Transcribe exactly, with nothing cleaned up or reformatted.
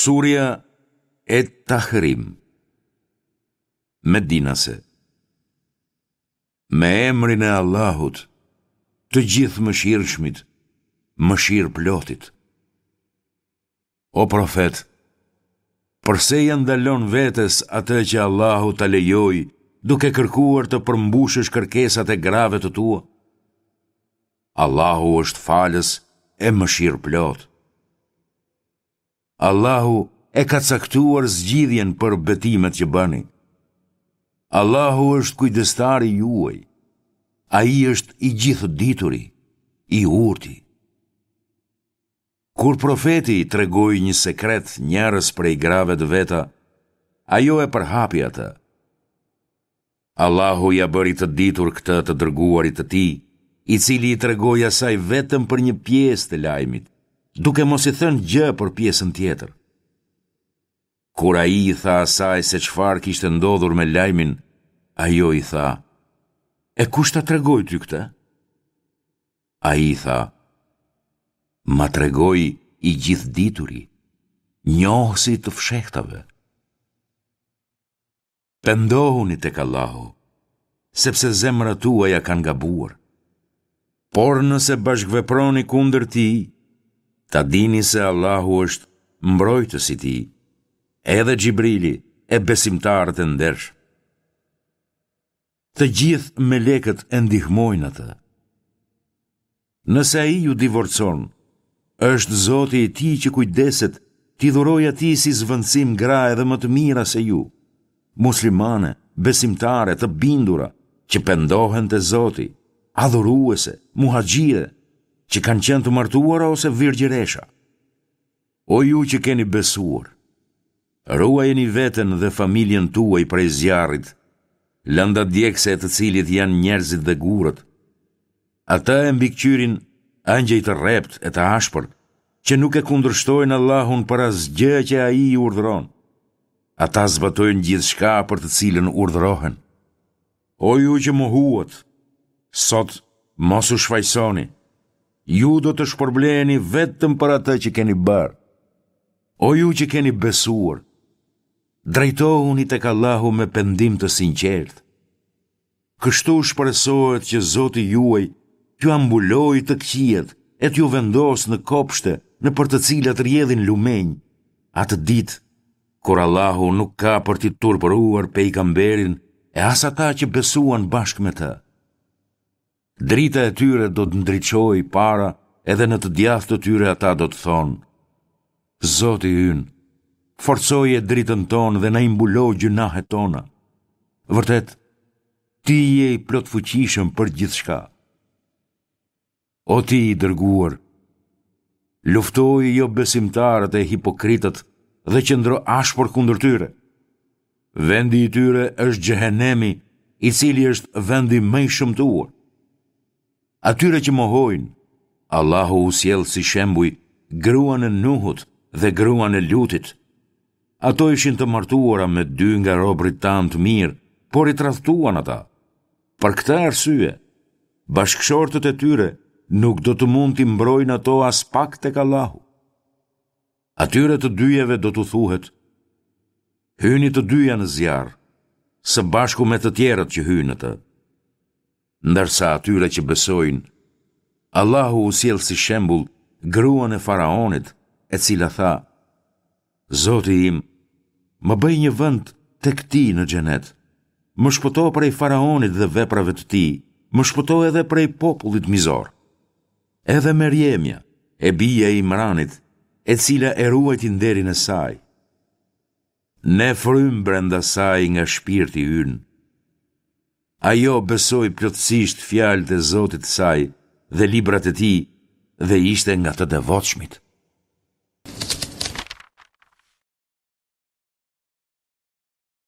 Surja Et-Tahrim, Medinase. Me emrin e Allahut, të Gjithëmëshirshmit, mëshirëplotit. O profet, përse ia ndalon vetes atë që Allahu ta lejoi, duke kërkuar të përmbushësh kërkesat e grave të tua? Allahu është falës e mëshirëplotë. Allahu e ka caktuar zgjidhjen për betimet që bëni. Allahu është kujdestari juaj. Ai është i gjithëdituri, i urti. Kur profeti i tregoi një sekret njërës prej grave të veta, ajo e përhapi atë. Allahu ia bëri të ditur këtë të dërguarit të tij, i cili i tregoi asaj vetëm për një pjesë të lajmit, duke mos i thënë gjë për pjesën tjetër. Kur ai i tha asaj se çfarë kishte ndodhur me lajmin, ajo i tha: "E kush ta tregoi ty këtë?" Ai i tha: "Ma tregoi i gjithëdituri, njohësi i të fshehtave." Pendohuni tek Allahu, sepse zemrat tuaja kanë gabuar. Por nëse bashkëveproni kundër tij, ta dini se Allahu është mbrojtës i tij, edhe Xhibrili e besimtarët e ndershëm. Të gjithë melekët e ndihmojnë atë. Nëse ai ju divorcon, është Zoti i tij që kujdeset t'i dhurojë atij si zëvendësim gra edhe më të mira se ju, muslimane, besimtare, të bindura, që pendohen te Zoti, adhuruese, muhaxhire, që kanë qenë të martuara ose virgjëresha. O ju që keni besuar, ruajeni veten dhe familjen tuaj prej zjarrit, lënda djegëse e të cilit janë njerëzit dhe gurët. Atë e mbikëqyrin engjëj të rreptë e të ashpër, që nuk e kundërshtojnë Allahun për asgjë që ai i urdhëron. Ata zbatojnë gjithçka për të cilën urdhërohen. O ju që mohuat, sot mos u shfajësoni. Ju do të shpërbleheni vetëm për atë që keni bërë. O ju që keni besuar, drejtohuni tek Allahu me pendim të sinqertë. Kështu shpresohet që Zoti juaj t'jua mbulojë të këqijat e t'ju vendosë në kopshte nëpër të cilat rrjedhin lumenj, atë ditë kur Allahu nuk ka për t'i turpëruar pejgamberin e as ata që besuan bashkë me të. Drita e tyre do të ndriçojë para edhe në të djathtë të tyre ata do të thonë: Zoti ynë, forcoje dritën tonë dhe na i mbulo gjynahet tona. Vërtet, ti je i plotfuqishëm për gjithçka. O ti i dërguar, luftoji jobesimtarët e hipokritët dhe qëndro ashpër kundër tyre. Vendi i tyre është xhehenemi, i cili është vendi më i shëmtuar. Atyre që mohojnë, Allahu u sjell si shembuj gruan e Nuhut dhe gruan e Lutit. Ato ishin të martuara me dy nga robërit tanë të mirë, por i tradhtuan ata. Për këtë arsye, bashkëshortët e tyre nuk do të mund t'i mbrojnë ato aspak tek Allahu. Atyre të dyjave do t'u thuhet: Hyni të dyja në zjarr, së bashku me të tjerët që hyjnë në të. Ndërsa atyre që besojnë, Allahu u sjell si shembull gruan e faraonit, e cila tha: Zoti im, më bëj një vend tek ti në xhenet. Më shpëto prej faraonit dhe veprave të tij, më shpëto edhe prej popullit mizor. Edhe Merjemja, e bija e Imranit, e cila e ruajti nderin e saj. Ne frymë brenda saj nga shpirti ynë. Ajo besoi plotësisht fjalët e Zotit të saj dhe librat e tij dhe ishte nga të devotshmit.